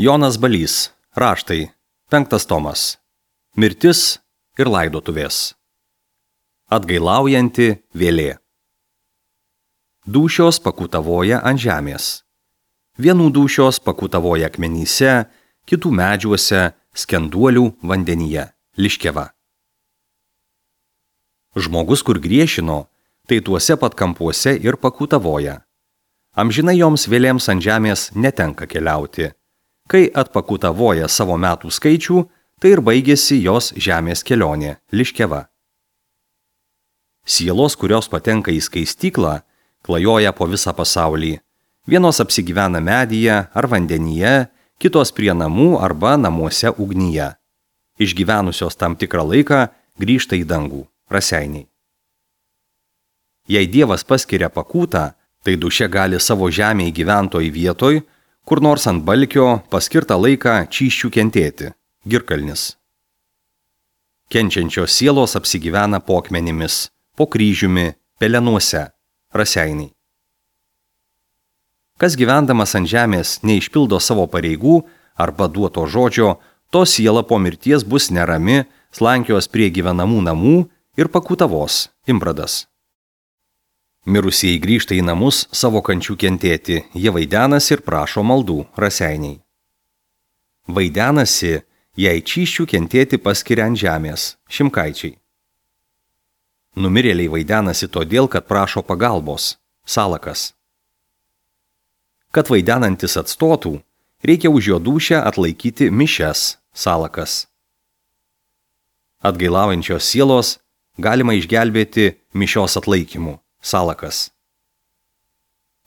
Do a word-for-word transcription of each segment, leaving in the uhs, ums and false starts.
Jonas Balys, raštai, penktas tomas. Mirtis ir laidotuvės. Atgailaujanti vėlė. Dūšios pakutavoja ant žemės. Vienų dūšios pakutavoja akmenyse, kitų medžiuose, skenduolių vandenyje, liškeva. Žmogus, kur griešino, tai tuose pat kampuose ir pakutavoja. Amžinai joms vėlėms ant žemės netenka keliauti. Kai atpakutavoja savo metų skaičių, tai ir baigėsi jos žemės kelionė, liškeva. Sielos, kurios patenka į skaistyklą, klajoja po visą pasaulį. Vienos apsigyvena medyje ar vandenyje, kitos prie namų arba namuose ugnyje. Išgyvenusios tam tikrą laiką grįžta į dangų, raseiniai. Jei Dievas paskiria pakūtą, tai duše gali savo žemėje gyventoj vietoj, kur nors ant balkio paskirtą laiką čysčių kentėti, girkalnis. Kenčiančios sielos apsigyvena po akmenimis, po kryžiumi, pelenuose, raseiniai. Kas gyvendamas ant žemės neišpildo savo pareigų arba duoto žodžio, to siela po mirties bus nerami, slankios prie gyvenamų namų ir pakutavos, imbradas. Mirusieji grįžta į namus savo kančių kentėti, jie vaidenasi ir prašo maldų, raseiniai. Vaidenasi, jei čysčių kentėti paskiria ant žemės, šimkaičiai. Numirėliai vaidenasi todėl, kad prašo pagalbos, salakas. Kad vaidenantis atstotų, reikia už jo dūšią atlaikyti mišias, salakas. Atgailaujančios sielos galima išgelbėti mišios atlaikymu, salakas.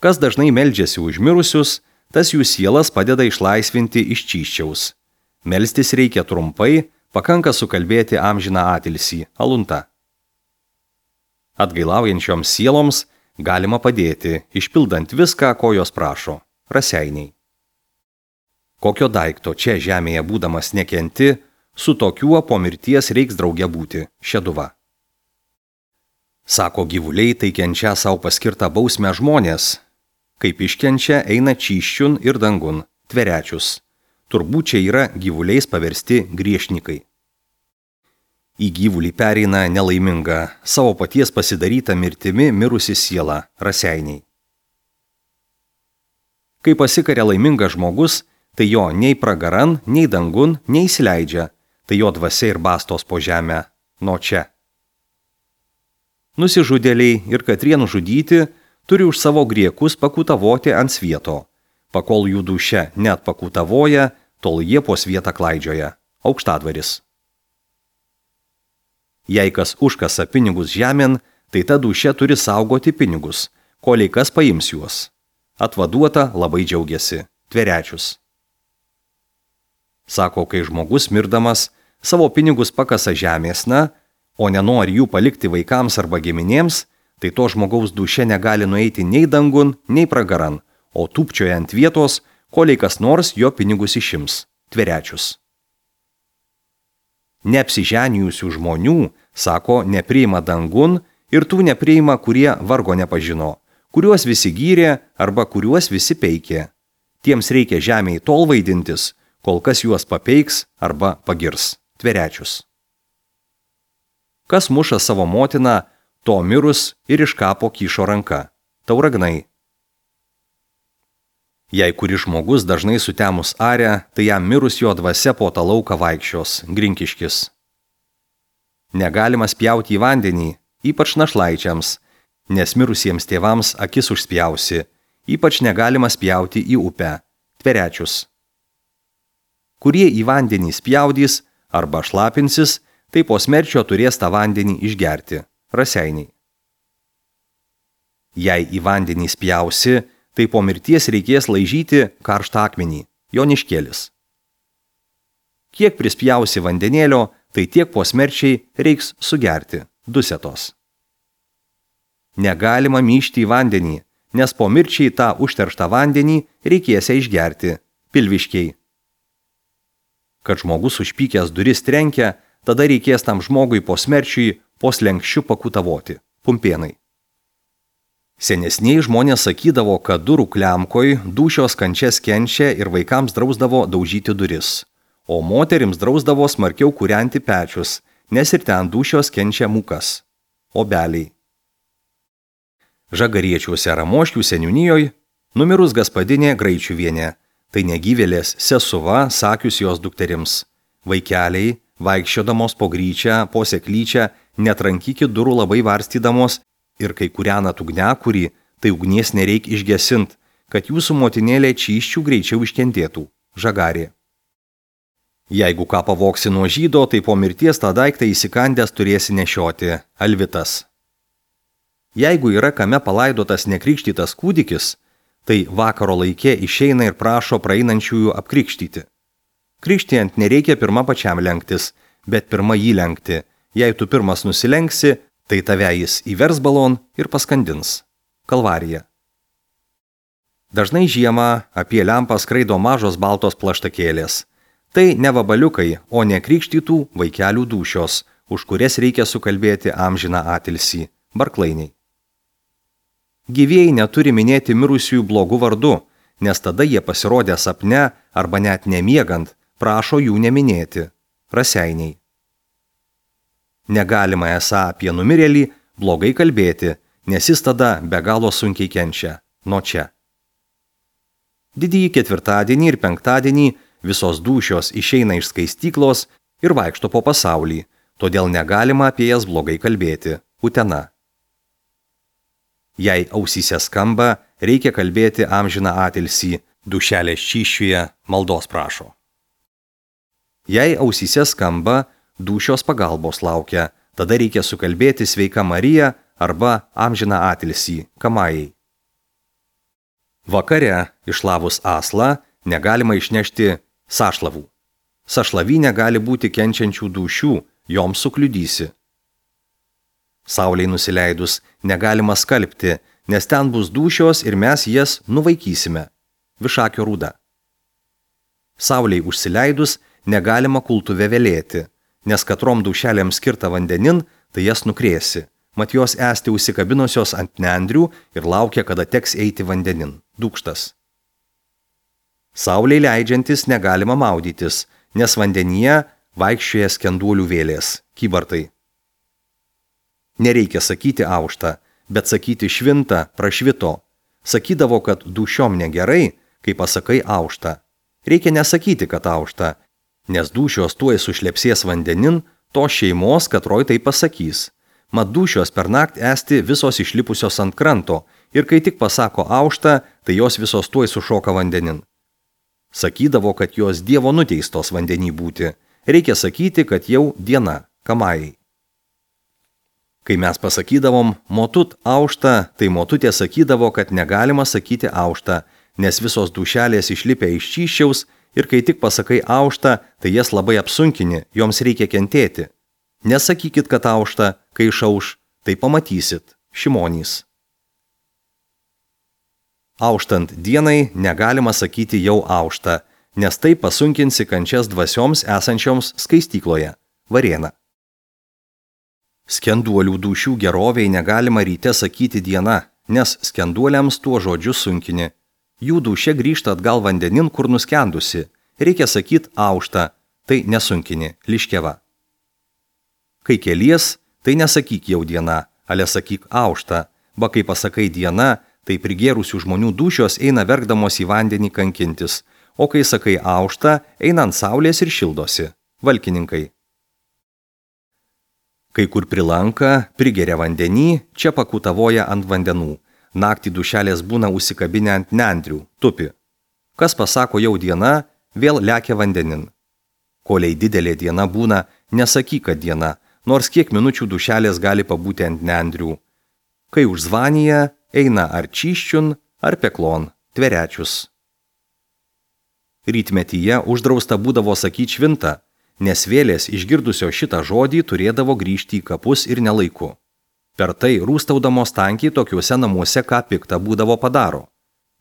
Kas dažnai meldžiasi už mirusius, tas jų sielas padeda išlaisvinti iš čysčiaus. Melstis reikia trumpai, pakanka sukalbėti amžiną atilsį, alunta. Atgailaujančioms sieloms galima padėti, išpildant viską, ko jos prašo, raseiniai. Kokio daikto čia žemėje būdamas nekenti, su tokiuo po mirties reiks drauge būti, šeduva. Sako gyvuliai, tai kenčia savo paskirtą bausmę žmonės, kaip iškenčia eina čysčiun ir dangun, tverečius. Turbūt čia yra gyvuliais paversti griešnikai. Į gyvulį pereina nelaiminga, savo paties pasidaryta mirtimi mirusi siela, raseiniai. Kai pasikaria laimingas žmogus, tai jo nei pragaran, nei dangun neįsileidžia, tai jo dvasia ir bastos po žemę, nuo čia. Nusižudėliai ir katrie nužudyti turi už savo griekus pakutavoti ant svieto. Pakol jų duše net pakutavoja, tol jie po svietą klaidžioja, aukštadvaris. Jei kas užkasa pinigus žemėn, tai ta duše turi saugoti pinigus, kolei kas paims juos. Atvaduota labai džiaugiasi, tverečius. Sako, kai žmogus mirdamas savo pinigus pakasa žemėsna, o nenori jų palikti vaikams arba giminėms, tai to žmogaus duše negali nueiti nei dangun, nei pragaran, o tūpčioja ant vietos, kolei kas nors jo pinigus išims, tverečius. Neapsiženijusių žmonių, sako, nepriima dangun ir tų nepriima, kurie vargo nepažino, kuriuos visi gyrė arba kuriuos visi peikė. Tiems reikia žemėje tol vaidintis, kol kas juos papeiks arba pagirs, tverečius. Kas muša savo motiną, to mirus ir iš kapo kyšo ranka, tauragnai. Jei kuris žmogus dažnai sutemus arę, tai jam mirus jo dvasia po tą lauką vaikščios, grinkiškis. Negalima spjauti į vandenį, ypač našlaičiams, nes mirusiems tėvams akis užspjausi, ypač negalima spjauti į upę, tverečius. Kurie į vandenį spjaudys arba šlapinsis, tai po smerčio turės tą vandenį išgerti, raseiniai. Jei į vandenį spjausi, tai po mirties reikės laižyti karštą akmenį, joniškėlis. Kiek prispjausi vandenėlio, tai tiek po smerčiai reiks sugerti, dusetos. Negalima myžti į vandenį, nes po mirčiai tą užterštą vandenį reikės išgerti, pilviškiai. Kad žmogus užpykęs duris trenkia, tada reikės tam žmogui po smerčiui po slenkščiu pakutavoti, pumpėnai. Senesniai žmonės sakydavo, kad durų klemkoj dūšios kančias kenčia ir vaikams drausdavo daužyti duris, o moterims drausdavo smarkiau kūrenti pečius, nes ir ten dūšios kenčia mūkas. Obeliai. Žagariečiuose Ramoškių seniūnijoje numirus gaspadinė Graičiuvienė, tai negyvėlės sesuva sakius jos dukterims. Vaikeliai, vaikščiodamos po gryčią, po seklyčią, netrankykit durų labai varstydamos ir kai kūrenat ugniakurį, tai ugnies nereik išgesint, kad jūsų motinėlė čyščių greičiau iškentėtų. Žagarė. Jeigu ką pavoksi nuo žydo, tai po mirties tą daiktą įsikandęs turėsi nešioti. Alvitas. Jeigu yra kame palaidotas nekrikštytas kūdikis, tai vakaro laikė išeina ir prašo praeinančiųjų apkrikštyti. Krikštijant nereikia pirma pačiam lenktis, bet pirma jį lenkti. Jei tu pirmas nusilenksi, tai tave jis įvers balon ir paskandins. Kalvarija. Dažnai žiemą apie lempą skraido mažos baltos plaštakėlės. Tai ne vabaliukai, o ne krikštytų vaikelių dūšios, už kurias reikia sukalbėti amžiną atilsį. Barklainiai. Gyvieji neturi minėti mirusiųjų blogų vardu, nes tada jie pasirodę sapne arba net nemiegant, prašo jų neminėti. Raseiniai. Negalima esą apie numirėlį blogai kalbėti, nes jis tada be galo sunkiai kenčia. Nuo čia. Didįjį ketvirtadienį ir penktadienį visos dūšios išeina iš skaistyklos ir vaikšto po pasaulį, todėl negalima apie jas blogai kalbėti. Utena. Jei ausyse skamba, reikia kalbėti amžiną atilsį, dušelės čyščiuje maldos prašo. Jei ausyse skamba, dūšios pagalbos laukia, tada reikia sukalbėti sveika Marija arba amžiną atilsį, kamajai. Vakare, išlavus aslą, negalima išnešti sašlavų. Sašlavinė gali būti kenčiančių dūšių, joms sukliudysi. Saulei nusileidus negalima skalbti, nes ten bus dūšios ir mes jas nuvaikysime. Višakio rūda. Saulei užsileidus negalima kultuve velėti, nes katrom dūšelėms skirta vandenin, tai jas nukrėsi. Mat jos esti užsikabinusios ant nendrių ir laukia, kada teks eiti vandenin. Dūkštas. Saulei leidžiantis negalima maudytis, nes vandenyje vaikščioja skenduolių vėlės. Kybartai. Nereikia sakyti aušta, bet sakyti švinta, prašvito. Sakydavo, kad dūšiom negerai, kai pasakai aušta. Reikia nesakyti, kad aušta, nes dūšios tuoj sušlepsės vandenin, to šeimos, katroj tai pasakys. Mat dūšios per naktį esti visos išlipusios ant kranto ir kai tik pasako aušta, tai jos visos tuoj sušoka vandenin. Sakydavo, kad jos Dievo nuteistos vandenį būti. Reikia sakyti, kad jau diena, kamajai. Kai mes pasakydavom motut aušta, tai motutė sakydavo, kad negalima sakyti aušta, nes visos dūšelės išlipę iš čyščiaus ir kai tik pasakai aušta, tai jas labai apsunkini, joms reikia kentėti. Nesakykit, kad aušta, kai išauš, tai pamatysit. Šimonys. Auštant dienai negalima sakyti jau aušta, nes tai pasunkinsi kančias dvasioms esančioms skaistykloje. Varėna. Skenduolių dūšių geroviai negalima ryte sakyti diena, nes skenduoliams tuo žodžiu sunkini. Jų dūšia grįžta atgal vandenin, kur nuskendusi. Reikia sakyti aušta, tai nesunkini. Liškeva. Kai kelies, tai nesakyk jau diena, ale sakyk aušta, ba kai pasakai diena, tai prigėrusių žmonių dūšios eina verkdamos į vandenį kankintis, o kai sakai aušta, eina ant saulės ir šildosi. Valkininkai. Kai kur prilanka, prigeria vandenį, čia pakutavoja ant vandenų. Naktį dūšelės būna užsikabinę ant nendrių, tupi. Kas pasako jau diena, vėl lekia vandenin. Koliai didelė diena būna, nesakyk, kad diena, nors kiek minučių dūšelės gali pabūti ant nendrių. Kai užzvanyje, eina ar čyščiun, ar peklon, tverečius. Rytmetyje uždrausta būdavo sakyti švinta, nes vėlės išgirdusio šitą žodį turėdavo grįžti į kapus ir nelaiku. Per tai rūstaudamos tankiai tokiuose namuose ką piktą būdavo padaro.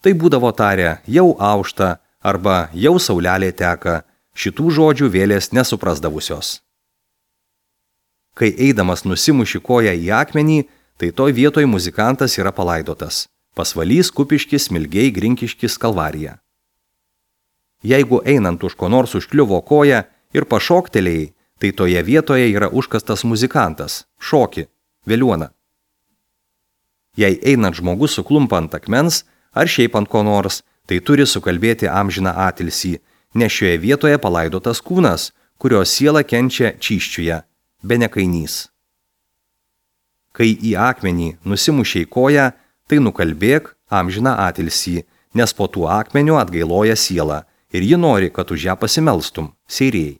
Tai būdavo tarę jau aušta arba jau saulelė teka, šitų žodžių vėlės nesuprasdavusios. Kai eidamas nusimuši koją į akmenį, tai toj vietoj muzikantas yra palaidotas. Pasvalys, Kupiškis, Smilgiai, Grinkiškis, Kalvarija. Jeigu einant už ko nors užkliuvo koja ir pašoktelėjai, tai toje vietoje yra užkastas muzikantas, šoki, veliuona. Jei einant žmogus suklumpa ant akmens ar šiaip ant ko nors, tai turi sukalbėti amžiną atilsį, nes šioje vietoje palaidotas kūnas, kurio siela kenčia čyščiuje, be nekainys. Kai į akmenį nusimušiai koją, tai nukalbėk amžiną atilsį, nes po tų akmenių atgailoja sielą ir ji nori, kad už ją pasimelstum, seirėjai.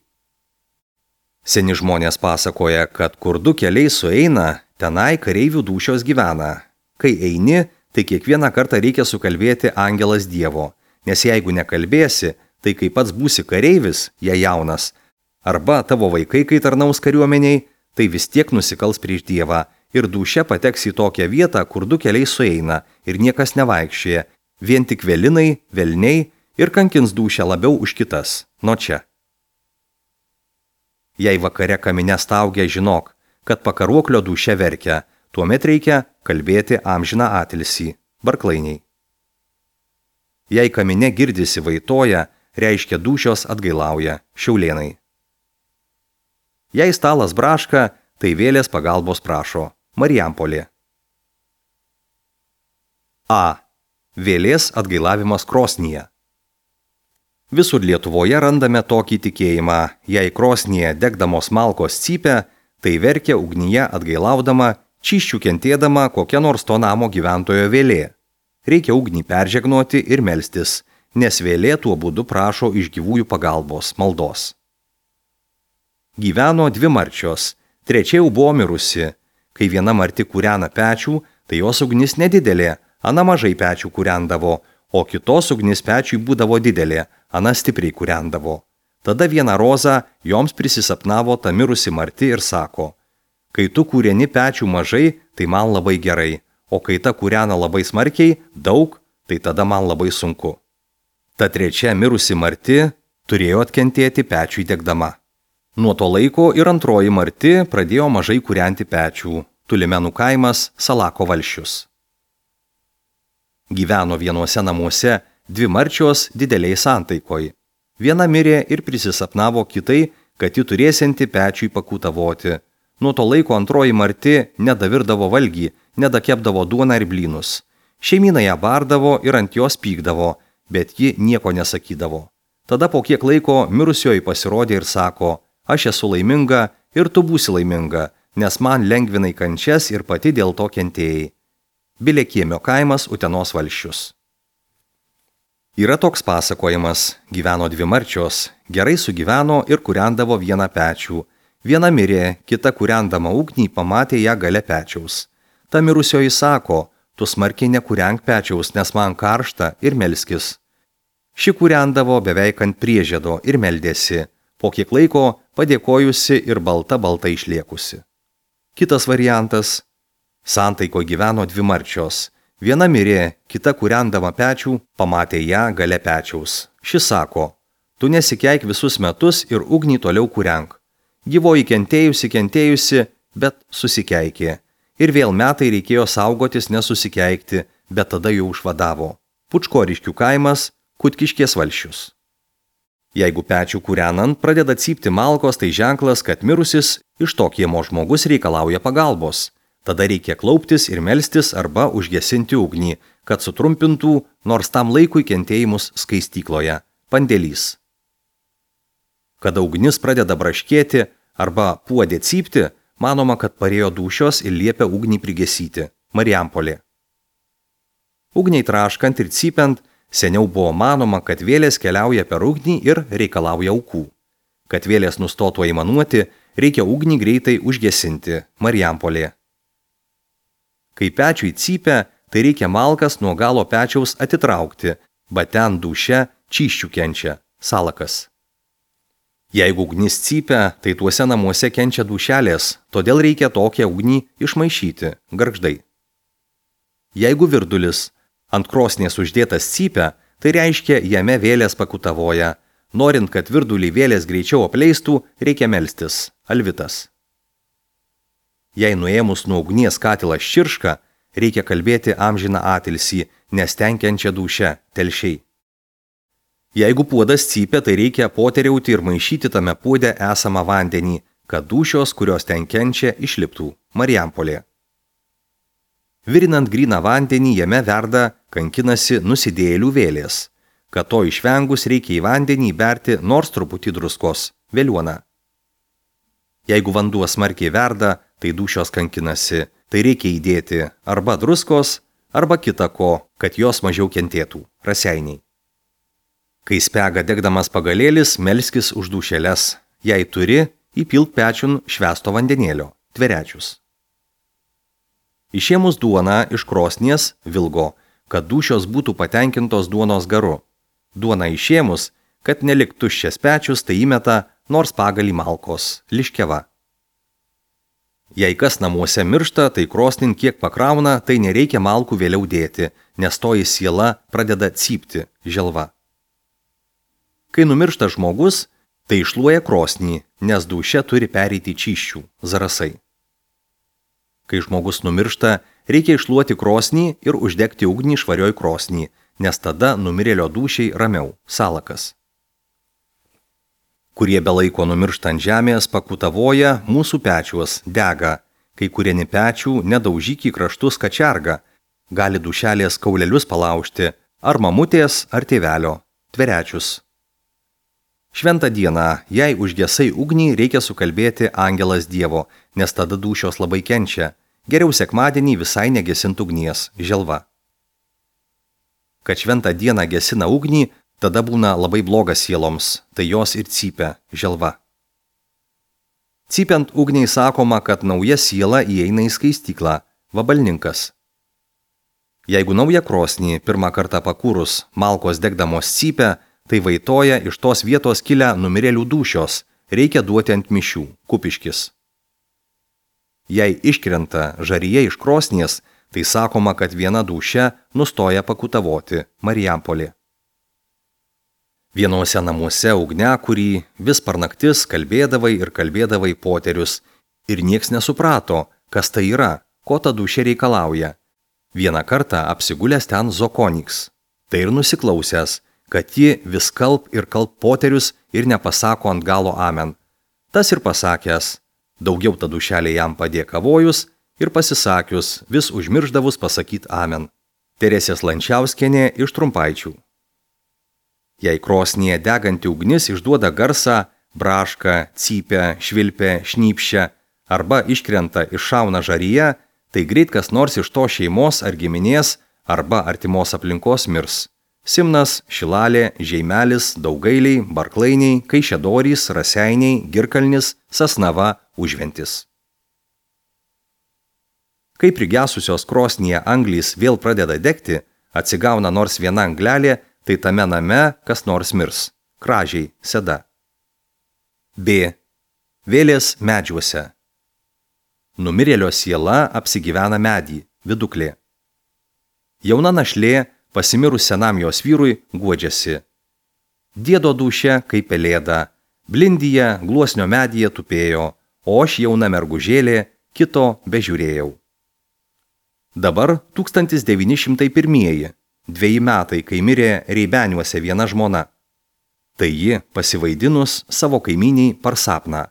Seni žmonės pasakoja, kad kur du keliai sueina, tenai kareivių dūšios gyvena. Kai eini, tai kiekvieną kartą reikia sukalbėti angelas Dievo, nes jeigu nekalbėsi, tai kai pats būsi kareivis, jei jaunas, arba tavo vaikai, kai tarnaus kariuomeniai, tai vis tiek nusikals prieš Dievą ir dūšia pateks į tokią vietą, kur du keliai sueina ir niekas nevaikščioja, vien tik velinai, velniai ir kankins dūšią labiau už kitas, nuo čia. Jei vakare kamine staugia, žinok, kad pakaruoklio dūšia verkia, tuomet reikia kalbėti amžiną atilsį, Barklainiai. Jei kamine girdisi vaitoja, reiškia dūšios atgailauja, Šiaulėnai. Jei stalas braška, tai vėlės pagalbos prašo, Marijampolė. A. Vėlės atgailavimas krosnyje. Visur Lietuvoje randame tokį tikėjimą, jei krosnyje degdamos malkos cypia, tai verkia ugnyje atgailaudama, čyščių kentėdama kokia nors to namo gyventojo vėlė. Reikia ugnį peržegnoti ir melstis, nes vėlė tuo būdu prašo iš gyvųjų pagalbos, maldos. Gyveno dvi marčios, trečia jau buvo mirusi. Kai viena marti kūrena pečių, tai jos ugnis nedidelė, ana mažai pečių kūrendavo, o kitos ugnis pečiui būdavo didelė, ana stipriai kūrendavo. Tada vieną rozą joms prisisapnavo ta mirusi marti ir sako, kai tu kūreni pečių mažai, tai man labai gerai, o kai ta kūrena labai smarkiai, daug, tai tada man labai sunku. Ta trečia mirusi marti turėjo atkentėti pečiui degdama. Nuo to laiko ir antroji marti pradėjo mažai kūrenti pečių, Tulimenų kaimas, Salako valsčius. Gyveno vienuose namuose dvi marčios dideliai santaikoj. Viena mirė ir prisisapnavo kitai, kad ji turėsianti pečiui pakūtavoti. Nuo to laiko antroji marti nedavirdavo valgį, nedakepdavo duoną ir blynus. Šeimyna ją bardavo ir ant jos pykdavo, bet ji nieko nesakydavo. Tada po kiek laiko mirusioji pasirodė ir sako, aš esu laiminga ir tu būsi laiminga, nes man lengvinai kančias ir pati dėl to kentėjai. Bilekiemio kaimas, Utenos valsčius. Yra toks pasakojimas, gyveno dvi marčios, gerai sugyveno ir kūrendavo vieną pečių. Viena mirė, kita kūrendama ugnį pamatė ją gale pečiaus. Ta mirusioji sako, tu smarkiai nekūrenk pečiaus, nes man karšta ir melskis. Ši kūrendavo beveik ant priežiedo ir meldėsi, po kiek laiko padėkojusi ir balta balta išliekusi. Kitas variantas. Santaiko gyveno dvi marčios. Viena mirė, kita kūrendama pečių, pamatė ją gale pečiaus. Ši sako, tu nesikeik visus metus ir ugnį toliau kūrenk. Gyvoji kentėjusi, kentėjusi, bet susikeikė. Ir vėl metai reikėjo saugotis nesusikeikti, bet tada jau užvadavo. Pučkoriškių kaimas, Kutkiškės valsčius. Jeigu pečių kūrenant pradeda cypti malkos, tai ženklas, kad mirusis iš to kiemo žmogus reikalauja pagalbos. Tada reikia klauptis ir melstis arba užgesinti ugnį, kad sutrumpintų nors tam laikui kentėjimus skaistykloje, pandėlys. Kada ugnis pradeda braškėti arba puodė cypti, manoma, kad parėjo dūšios ir liepia ugnį prigesyti, Marijampolė. Ugniai traškant ir cypiant, seniau buvo manoma, kad vėlės keliauja per ugnį ir reikalauja aukų. Kad vėlės nustotų aimanuoti, reikia ugnį greitai užgesinti, Marijampolė. Kai pečiui cypia, tai reikia malkas nuo galo pečiaus atitraukti, bet ten dūšia čyščių kenčia, Salakas. Jeigu ugnis cypia, tai tuose namuose kenčia dūšelės, todėl reikia tokią ugnį išmaišyti, gargždai. Jeigu virdulis ant krosnės uždėtas cypia, tai reiškia jame vėlės pakutavoja. Norint, kad virdulį vėlės greičiau apleistų, reikia melstis, Alvitas. Jei nuėmus nuo ugnies katilas čirška, reikia kalbėti amžiną atilsį, nestenkiančią dūšią, telšiai. Jeigu puodas cypia, tai reikia poteriauti ir maišyti tame puode esamą vandenį, kad dūšios, kurios ten kenčia, išliptų. Marijampolė. Virinant gryną vandenį, jame verda, kankinasi nusidėjėlių vėlės. Kad to išvengus, reikia į vandenį įberti nors truputį druskos, vėliuoną. Jeigu vanduo smarkiai verda, tai dūšios kankinasi, tai reikia įdėti arba druskos, arba kita ko, kad jos mažiau kentėtų, raseiniai. Kai spega degdamas pagalėlis, melskis už dūšeles. Jei turi, įpilk pečiun švęsto vandenėlio, tverečius. Išėmus duoną iš krosnies vilgo, kad dūšios būtų patenkintos duonos garu. Duoną išėmus, kad nelik tuščias pečius, tai įmeta nors pagalį malkos, liškeva. Jei kas namuose miršta, tai krosnin kiek pakrauna, tai nereikia malkų vėliau dėti, nes toji siela pradeda cypti, želva. Kai numiršta žmogus, tai išluoja krosnį, nes dūšia turi pereiti čyščių, zarasai. Kai žmogus numiršta, reikia išluoti krosnį ir uždegti ugnį švarioj krosnį, nes tada numirėlio dūšiai ramiau, salakas. Kurie be laiko numiršta ant žemės, pakutavoja, mūsų pečiuos dega, kai kurieni pečių nedaužyk į kraštus kačerga, gali dūšelės kaulelius palaužti, ar mamutės, ar tėvelio, tverečius. Šventą dieną, jei užgesai ugnį, reikia sukalbėti angelas Dievo, nes tada dūšios labai kenčia. Geriau sekmadienį visai negesint ugnies, želva. Kad šventą dieną gesina ugnį, tada būna labai blogas sieloms, tai jos ir cypia, želva. Cypiant ugniai sakoma, kad nauja siela įeina į skaistyklą, vabalninkas. Jeigu naują krosnį pirmą kartą pakūrus malkos degdamos cypia, tai vaitoja iš tos vietos kilę numirėlių dūšios, reikia duoti ant mišių, kupiškis. Jei iškrenta žaryje iš krosnies, tai sakoma, kad viena dūšia nustoja pakutavoti, Marijampolė. Vienuose namuose ugniakurį vis per naktis kalbėdavai ir kalbėdavai poterius, ir nieks nesuprato, kas tai yra, ko ta dūšia reikalauja. Vieną kartą apsigulęs ten Zokoniks, tai ir nusiklausęs, kad ji vis kalb ir kalb poterius ir nepasako ant galo amen. Tas ir pasakęs, daugiau ta dūšelė jam padėkavojus ir pasisakius, vis užmirždavus pasakyt amen. Teresės Lančiauskienė iš Trumpaičių. Jei krosnyje deganti ugnis išduoda garsą, braška, cypia, švilpia, šnypščia arba iškrenta iššauna žaryje, tai greit kas nors iš to šeimos ar giminės arba artimos aplinkos mirs. Simnas, Šilalė, Žeimelis, Daugailiai, Barklainiai, Kaišiadorys, Raseiniai, Girkalnis, Sasnava, Užventis. Kai prigesusios krosnyje anglys vėl pradeda degti, atsigauna nors viena anglelė, tai tame name kas nors mirs. Kražiai, Seda. B. Vėlės medžiuose. Numirėlio siela apsigyvena medį, viduklė. Jauna našlė pasimirus senam jos vyrui guodžiasi. Diedo dūšia kaip pelėda, blindyje gluosnio medyje tupėjo, o aš jauna mergužėlė, kito bežiūrėjau. Dabar tūkstantis devyni šimtai pirmieji, dveji metai, kai mirė Reibeniuose viena žmona. Tai ji, pasivaidinus savo kaimyniai par sapną,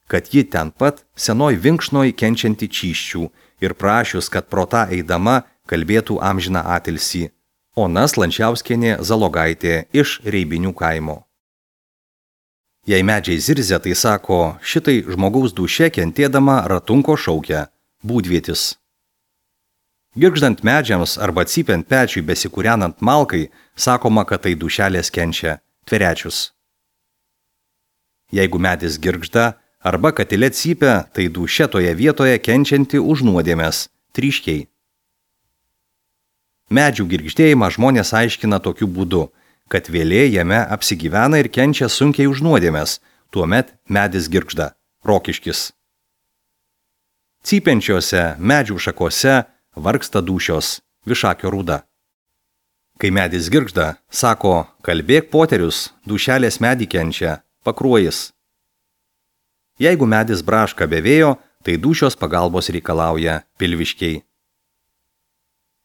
kad ji ten pat senoj vinkšnoj kenčianti čyščių ir prašius, kad pro tą eidama kalbėtų amžiną atilsį. Ona Lančiauskienė Zalogaitė iš Reibinių kaimo. Jei medžiai zirzia, tai sako, šitai žmogaus dūšia kentėdama ratunko šaukia, būdvietis. Girgždant medžiams arba cypiant pečiui besikūrenant malkai, sakoma, kad tai dūšelės kenčia, tverečius. Jeigu medis girgžda arba katile cypia, tai dūšia toje vietoje kenčianti už nuodėmes, tryškiai. Medžių girgždėjimą žmonės aiškina tokiu būdu, kad vėlė jame apsigyvena ir kenčia sunkiai už nuodėmes, tuomet medis girgžda, rokiškis. Cypiančiose medžių šakose vargsta dūšios, Višakio rūda. Kai medis girgžda, sako, kalbėk poterius, dūšelės medį kenčia, pakruojis. Jeigu medis braška be vėjo, tai dūšios pagalbos reikalauja pilviškiai.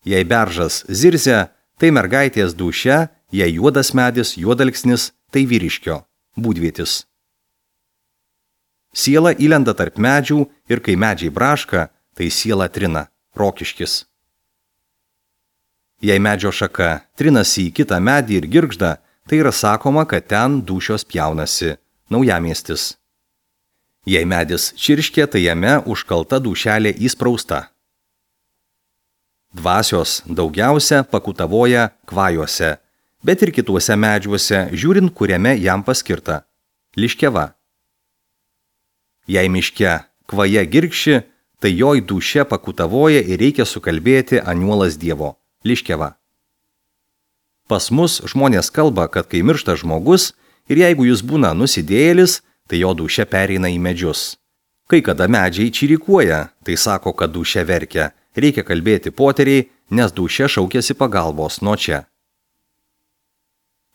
Jei beržas zirzia, tai mergaitės dūšia, jei juodas medis, juodalksnis, tai vyriškio, būdvietis. Siela įlenda tarp medžių ir kai medžiai braška, tai siela trina, rokiškis. Jei medžio šaka trinasi į kitą medį ir girgžda, tai yra sakoma, kad ten dūšios pjaunasi, naujamiestis. Jei medis čirškė, tai jame užkalta dūšelė įsprausta. Dvasios daugiausia pakutavoja kvajuose, bet ir kituose medžiuose, žiūrint, kuriame jam paskirta – liškeva. Jei miške kvaja girgši, tai joj dūšia pakutavoja ir reikia sukalbėti aniuolas Dievo – liškeva. Pas mus žmonės kalba, kad kai miršta žmogus ir jeigu jis būna nusidėjėlis, tai jo dūšia pereina į medžius. Kai kada medžiai čirikuoja, tai sako, kad dūšia verkia. Reikia kalbėti poteriai, nes dūšia šaukėsi pagalbos nuo čia.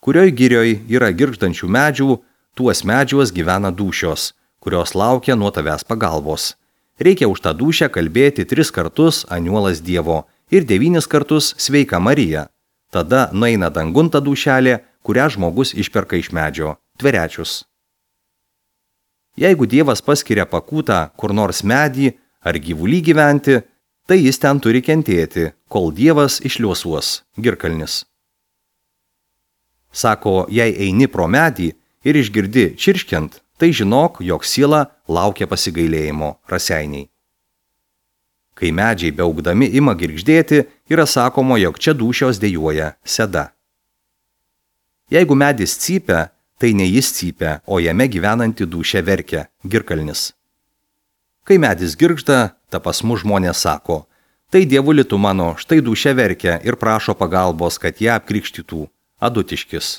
Kurioj girioj yra girgždančių medžių, tuos medžiuos gyvena dūšios, kurios laukia nuo tavęs pagalbos. Reikia už tą dūšią kalbėti tris kartus aniuolas Dievo ir devynis kartus sveika Marija. Tada nueina dangun ta dūšelė, kurią žmogus išperka iš medžio, tverečius. Jeigu Dievas paskiria pakūtą kur nors medį ar gyvulį gyventi, tai jis ten turi kentėti, kol Dievas išliuosuos, girkalnis. Sako, jei eini pro medį ir išgirdi čirškiant, tai žinok, jog siela laukia pasigailėjimo, raseiniai. Kai medžiai beaugdami ima girgždėti, yra sakoma, jog čia dūšios dejuoja, seda. Jeigu medis cypia, tai ne jis cypia, o jame gyvenanti dūšia verkia, girkalnis. Kai medis girgžda, ta pas mus žmonės sako, tai dievuli tu mano, štai dūšia verkia ir prašo pagalbos, kad ją apkrikštytų, adutiškis.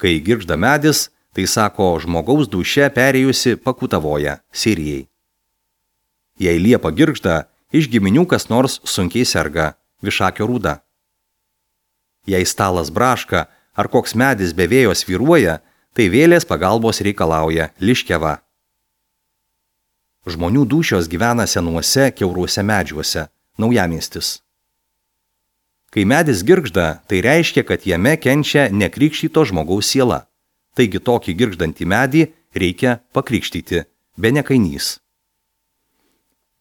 Kai girgžda medis, tai sako, žmogaus dūšia perėjusi pakutavoja, sirijai. Jei liepa girgžda, iš giminių kas nors sunkiai serga, višakio rūda. Jei stalas braška ar koks medis be vėjo svyruoja, tai vėlės pagalbos reikalauja, liškeva. Žmonių dūšios gyvena senuose, kiauruose medžiuose, naujamiestis. Kai medis girgžda, tai reiškia, kad jame kenčia nekrikštyto žmogaus siela. Taigi tokį girgždantį medį reikia pakrikštyti, be nekainys.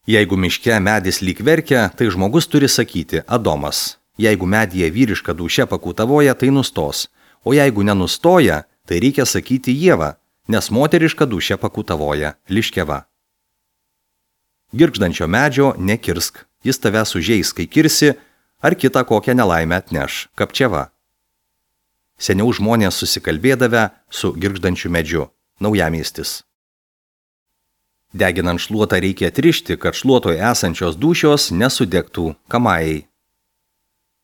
Jeigu miške medis lyg verkia, tai žmogus turi sakyti Adomas. Jeigu medyje vyriška dūšia pakutavoja, tai nustos, o jeigu nenustoja, tai reikia sakyti Ieva, nes moteriška dūšia pakutavoja, liškeva. Girgždančio medžio nekirsk, jis tave sužeis, kai kirsi, ar kitą kokią nelaimę atneš, kapčiava. Seniau žmonės susikalbėdavę su girgždančiu medžiu, naujamiestis. Deginant šluotą reikia atrišti, kad šluotoje esančios dūšios nesudegtų kamajai.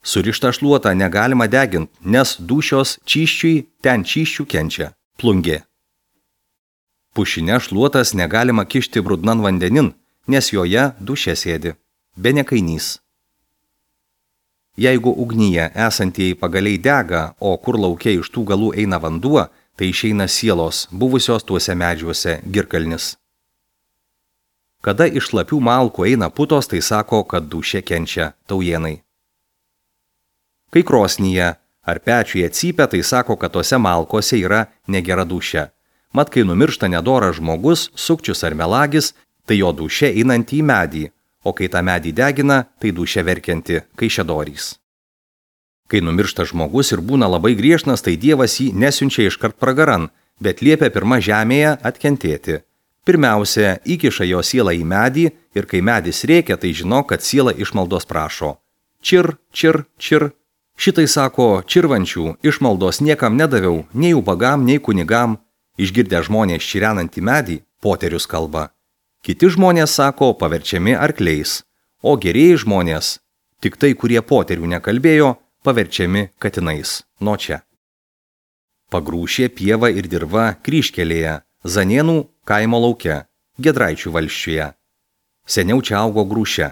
Surištą šluotą negalima deginti, nes dūšios čyščiui ten čyščių kenčia, plungė. Pušinę šluotas negalima kišti brudnan vandenin, nes joje dūšia sėdi, be nekainys. Jeigu ugnyje esantieji pagaliai dega, o kur laukia iš tų galų eina vanduo, tai išeina sielos, buvusios tuose medžiuose, girkalnis. Kada iš šlapių malkų eina putos, tai sako, kad dūšia kenčia, taujienai. Kai krosnyje ar pečiuje cypia, tai sako, kad tose malkose yra negera dūšia. Mat, kai numiršta nedoras žmogus, sukčius ar melagis, tai jo dūšia einanti į medį, o kai tą medį degina, tai dūšia verkianti, kaišiadorys. Kai numiršta žmogus ir būna labai griežnas, tai Dievas jį nesiunčia iškart pragaran, bet liepia pirma žemėje atkentėti. Pirmiausia, įkiša jo sielą į medį ir kai medis rėkia, tai žino, kad siela išmaldos prašo. Čir, čir, čir. Šitai sako, čirvančių išmaldos niekam nedaviau, nei ubagam, nei kunigam. Išgirdę žmonės čirenantį medį, poterius kalba. Kiti žmonės sako, paverčiami arkliais, o gerieji žmonės, tik tai, kurie poterių nekalbėjo, paverčiami katinais, nuo čia. Pagrūšė pieva ir dirva kryžkelėje, Zanienų kaimo lauke, Giedraičių valsčiuje. Seniau čia augo grūšė.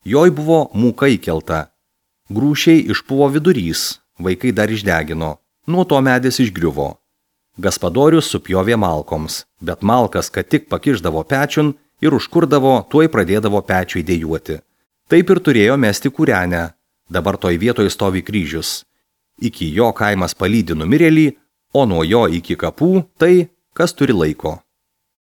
Joj buvo mūka įkelta. Grūšiai išpuvo vidurys, vaikai dar išdegino, nuo to medis išgriuvo. Gaspadorius supjovė malkoms, bet malkas, kad tik pakišdavo pečiun, ir užkurdavo, tuoj pradėdavo pečiui dejuoti. Taip ir turėjo mesti kūrenę. Dabar toj vietoj stovi kryžius. Iki jo kaimas palydi numirėlį, o nuo jo iki kapų tai, kas turi laiko.